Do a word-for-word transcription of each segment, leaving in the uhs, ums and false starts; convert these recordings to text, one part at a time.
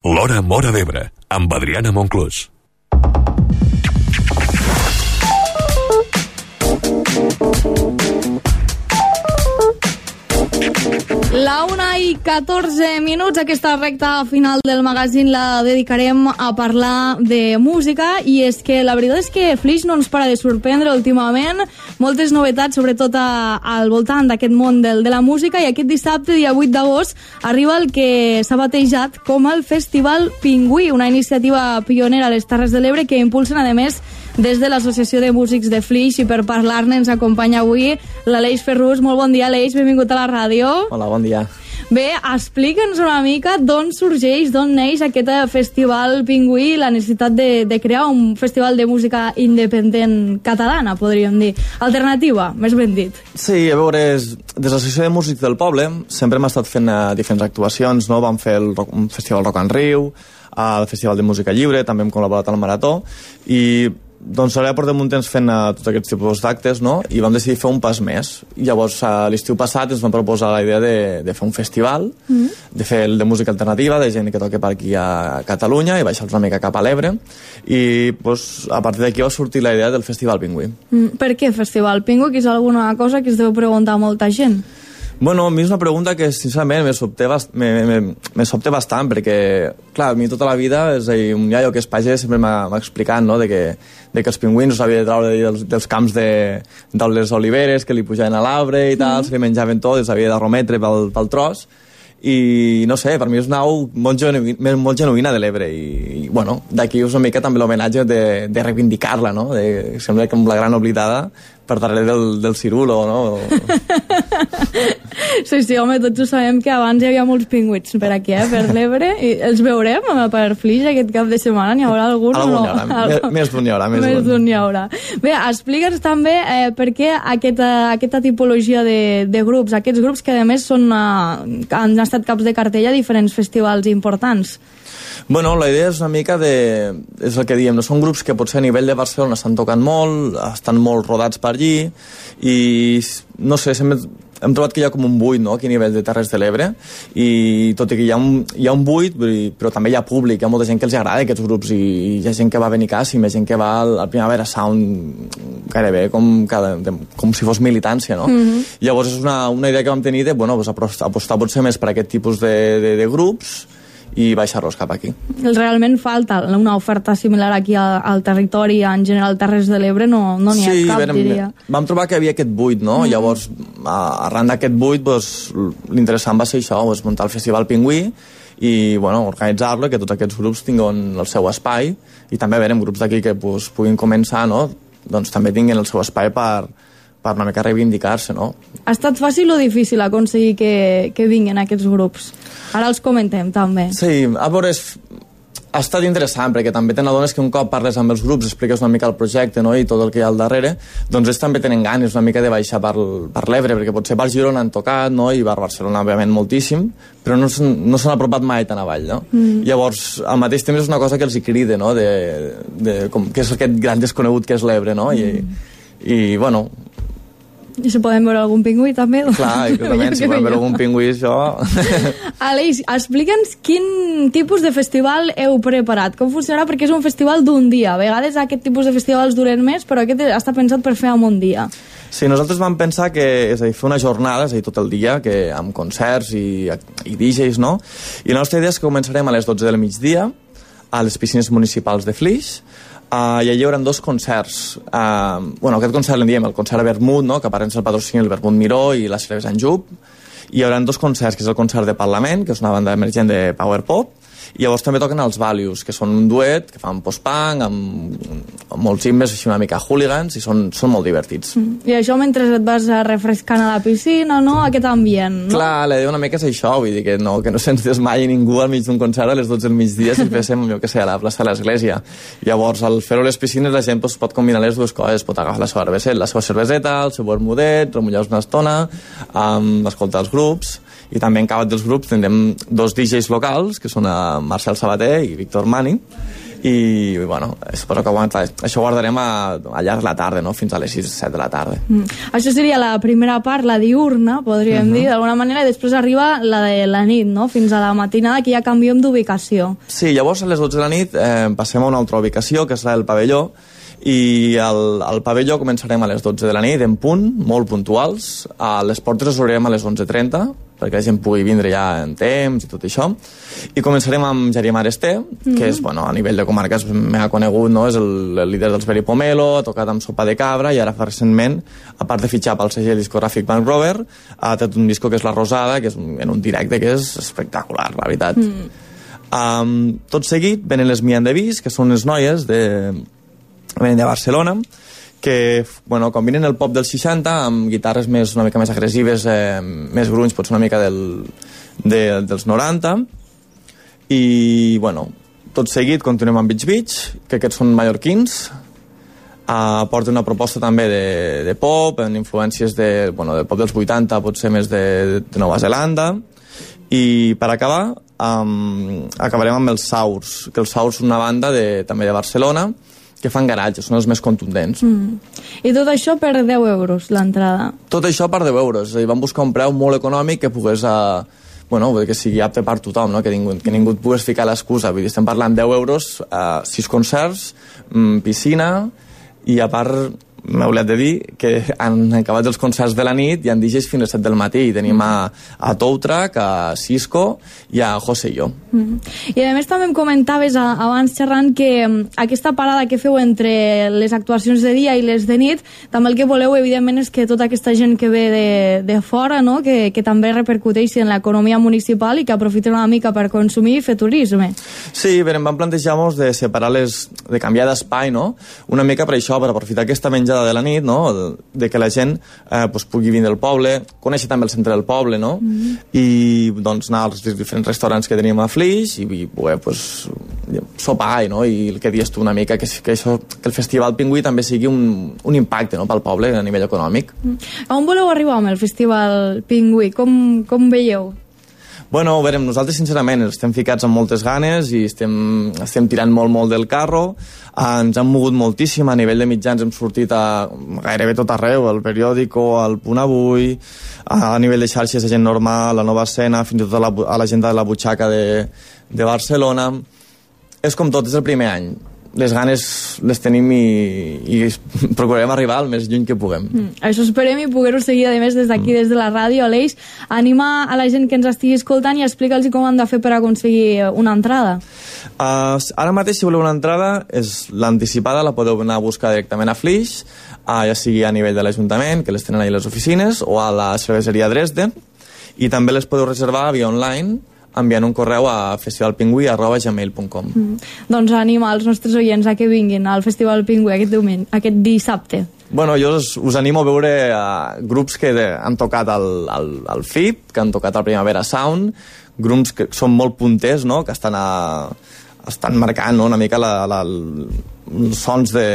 L'Hora Móra d'Ebre, amb Adriana Monclús. La una i catorze minuts, aquesta recta final del magazín la dedicarem a parlar de música, i és que la veritat és que Flix no ens para de sorprendre últimament, moltes novetats, sobretot a, al voltant d'aquest món del, de la música, i aquest dissabte, dia vuit d'agost, arriba el que s'ha batejat com el Festival Pingüí, una iniciativa pionera a les Terres de l'Ebre que impulsen, a més, des de l'Associació de Músics de Flix, i per parlar-ne ens acompanya avui l'Aleix Ferrús. Molt bon dia, Aleix, benvingut a la ràdio. Hola, bon dia. Bé, explica'ns una mica d'on sorgeix, d'on neix aquest Festival Pingüí, la necessitat de, de crear un festival de música independent catalana, podríem dir. Alternativa, més ben dit. Sí, a veure, des de l'Associació de Músics del Poble sempre hem estat fent uh, diferents actuacions, no? Vam fer el, un festival Rock en Riu, el Festival de Música Lliure, també hem col·laborat al Marató, i doncs ara portem un temps fent uh, tots aquests tipus d'actes, no? I vam decidir fer un pas més. I llavors, uh, l'estiu passat ens vam proposar la idea de, de fer un festival, mm. de fer el de música alternativa, de gent que toca per aquí a Catalunya, i baixar una mica cap a l'Ebre. I pues, a partir d'aquí va sortir la idea del Festival Pingüí. Mm. Per què Festival Pingüí? Que és alguna cosa que es deu preguntar molta gent. Bueno, a mi és una pregunta que, sincerament, me sobte, bast me, me, me sobte bastant, perquè, clar, a mi tota la vida, és a dir, un iaio que és pagès sempre m'ha explicat, no?, de que, de que els pingüins els havia de treure dels, dels camps de, de les oliveres, que li pujaven a l'arbre i tal, mm. se li menjaven tot, els havia de remetre pel, pel tros, i no sé, per mi és una au molt, genuï, molt genuïna de l'Ebre, i, i bueno, d'aquí és una mica també l'homenatge de, de reivindicar-la, no?, de, sembla que amb la gran oblidada per darrere del, del cirulo, no? Sí, sí, home, tots ho sabem que abans hi havia molts pingüits per aquí, eh, per l'Ebre, i els veurem per Flix aquest cap de setmana, n'hi haurà algun o no? Algun, més d'un hi haurà. Més d'un hi haurà. Bé, explica'ns també eh, per què aquesta, aquesta tipologia de, de grups, aquests grups que a més són, eh, han estat caps de cartell a diferents festivals importants. Bueno, la idea és una mica de... és el que diem, no? Són grups que potser a nivell de Barcelona estan tocant molt, estan molt rodats per allí, i no sé, sempre hem trobat que hi ha com un buit, no?, aquí a nivell de Terres de l'Ebre, i tot i que hi ha un, hi ha un buit, però també hi ha públic, hi ha molta gent que els agrada aquests grups, i hi ha gent que va a Benicàssim, hi ha gent que va al, al Primavera Sound gairebé com, cada, com si fos militància, no? Mm-hmm. Llavors és una, una idea que vam tenir de, bueno, pues apostar potser més per aquest tipus de, de, de grups, i baixar-los cap aquí. Realment falta una oferta similar aquí al, al territori, en general Terres de l'Ebre no n'hi no ha sí, cap, vam, diria. Vam trobar que hi havia aquest buit, no? Mm. Llavors, arran d'aquest buit, pues, l'interessant va ser això, pues, muntar el Festival Pingüí i, bueno, organitzar-lo, que tots aquests grups tinguin el seu espai, i també, a veure, grups d'aquí que pues, puguin començar, no?, doncs també tinguin el seu espai per per una mica reivindicar-se, no? Ha estat fàcil o difícil aconseguir que, que vinguin aquests grups? Ara els comentem, també. Sí, a veure, és, ha estat interessant, perquè també te n'adones que un cop parles amb els grups, expliques una mica el projecte, no?, i tot el que hi ha al darrere, doncs ells també tenen ganes una mica de baixar per, per l'Ebre, perquè potser per Girona han tocat, no?, i per Barcelona, òbviament, moltíssim, però no s'han no apropat mai tan avall, no? Mm. Llavors, al mateix temps és una cosa que els hi crida, no?, de, de, com, que és aquest gran desconegut que és l'Ebre, no?, mm. i, i, bueno... I si podem veure algun pingüí, també? Clar, i també, si podem veure algun pingüí, això... Aleix, explica'ns quin tipus de festival heu preparat, com funcionarà, perquè és un festival d'un dia. A vegades aquest tipus de festivals duren més, però aquest està pensat per fer en un dia. Sí, nosaltres vam pensar que, és a dir, fer una jornada, és a dir, tot el dia, que, amb concerts i, i D Js, no? I la nostra idea és que començarem a les dotze del migdia a les piscines municipals de Flix. Uh, i allà hi haurà dos concerts. Uh, bueno, aquest concert l'en diem el concert Vermut, no?, que apareix el patrocini el Vermut Miró i la cervesa Anjup. I hi haurà dos concerts, que és el concert de Parlament, que és una banda emergent de power pop, i llavors també toquen els Values, que són un duet que fan post-punk, amb, amb molts himnes així una mica hooligans, i són, són molt divertits. Mm. I això mentre et vas refrescant a la piscina, no?, aquest ambient, no? Clar, la idea una mica és això, vull dir que no, que no se'ns desmaia ningú al mig d'un concert a les dotze del migdia si féssim, jo que sé, a la plaça de l'Església. Llavors, al fer-ho a les piscines, la gent pues, pot combinar les dues coses, pot agafar la seva cerveseta, la seva cerveseta, el seu vermudet, remullar-se una estona, um, escoltar els grups, i també en cada dels grups tindrem dos D Js locals, que són a Marcel Sabater i Víctor Mani, i bueno, suposo que això ho guardarem a, a llarg de la tarda, no? Fins a les sis o set de la tarda. Mm. Això seria la primera part, la diurna, podríem uh-huh. dir, d'alguna manera, i després arriba la de la nit, no? Fins a la matinada, que ja canviem d'ubicació. Sí, llavors a les dotze de la nit eh, passem a una altra ubicació, que és la del pavelló, i al, al pavelló començarem a les dotze de la nit, en punt, molt puntuals. A les portes les obrirem a les onze trenta, perquè la gent pugui vindre ja en temps i tot això. I començarem amb Jari Maresté, mm-hmm. que és, bueno, a nivell de comarca és mega conegut, no? És el, el líder dels Beri Pomelo, ha tocat amb Sopa de Cabra, i ara fa recentment, a part de fitxar pel segell discogràfic Bank Rover, ha tret un disco que és La Rosada, que és en un directe que és espectacular, la veritat. Mm. Um, tot seguit venen les Miandevis, que són les noies de... venen de Barcelona, que bueno, combinen el pop dels seixanta amb guitarres més, una mica més agressives, eh, més grunys, potser una mica del, de, dels noranta, i bueno, tot seguit continuem amb Beach Beach, que aquests són mallorquins, eh, porten una proposta també de, de pop, amb influències de, bueno, del pop dels vuitanta, potser més de, de Nova Zelanda, i per acabar um, acabarem amb els Saurs, que els Saurs són una banda de, també de Barcelona, que fan garatge, són els més contundents. Mm. I tot això per deu euros, l'entrada? Tot això per deu euros. És a dir, vam buscar un preu molt econòmic que pogués, uh, bueno, que sigui apte per tothom, no? que, ningú, que ningú et pogués ficar l'excusa. Vull dir, estem parlant deu euros, uh, sis concerts, mm, piscina, i a part m'he oblidat de dir que han acabat els concerts de la nit i han D Js fins a les set del matí. I tenim a, a Toutrack, a Cisco i a José i jo. Mm-hmm. I a més també em comentaves a, abans xerrant que um, aquesta parada que feu entre les actuacions de dia i les de nit, també el que voleu evidentment és que tota aquesta gent que ve de, de fora, no? que, que també repercuteixi en l'economia municipal i que aprofiten una mica per consumir i fer turisme. Sí, bé, em van plantejar-nos de separar les, de canviar d'espai, no? Una mica per això, per aprofitar aquesta menjada de la nit, no? De que la gent eh, pues, pugui vindre al poble, conèixer també el centre del poble, no? Mm-hmm. I doncs anar als diferents restaurants que tenim a Flix i, i poder pues, sopar, no? I el que dius tu una mica, que, que, això, que el Festival Pingüí també sigui un, un impacte, no? Pel poble a nivell econòmic. Mm. On voleu arribar amb el Festival Pingüí? Com, com veieu? Bueno, a veure, nosaltres sincerament estem ficats amb moltes ganes i estem, estem tirant molt, molt del carro. Ens han mogut moltíssim, a nivell de mitjans hem sortit a gairebé tot arreu, al periòdico, al Punt Avui, a nivell de xarxes de gent normal, la Nova Escena, fins i tot a la, a l'agenda de la butxaca de, de Barcelona. És com tot, és el primer any. Les ganes les tenim i, i procurarem arribar el més lluny que puguem. Mm, això esperem i poder-ho seguir, a més, des d'aquí, mm. des de la ràdio. Aleix, anima a la gent que ens estigui escoltant i explica'ls com han de fer per aconseguir una entrada. Uh, ara mateix, si voleu una entrada, és l'anticipada, la podeu anar a buscar directament a Flix, uh, ja sigui a nivell de l'Ajuntament, que les tenen allà les oficines, o a la cerveseria Dresden, i també les podeu reservar via online, enviant un correu a festivalpingüí arroba gmail punt com. Mm. Doncs anima els nostres oients a que vinguin al Festival Pingüí aquest diumenge, aquest dissabte. Bueno, jo us, us animo a veure uh, grups que de, han tocat al, al, al F I P, que han tocat al Primavera Sound, grups que són molt punters, no? Que estan, a, estan marcant, no? Una mica la, la, els sons de,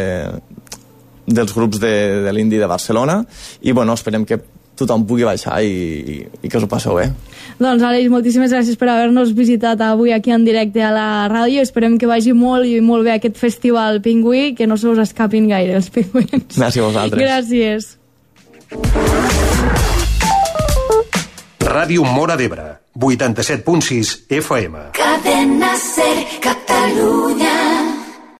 dels grups de, de l'indie de Barcelona, i bueno, esperem que tothom pugui baixar i, i, i que us ho passeu bé. Doncs, Aleix, moltíssimes gràcies per haver-nos visitat avui aquí en directe a la ràdio. Esperem que vagi molt i molt bé aquest Festival Pingüí, que no se us escapin gaire els pingüins. Gràcies a vosaltres. Gràcies. Ràdio Móra d'Ebre, vuitanta-set punt sis F M. Cadena Ser, Catalunya.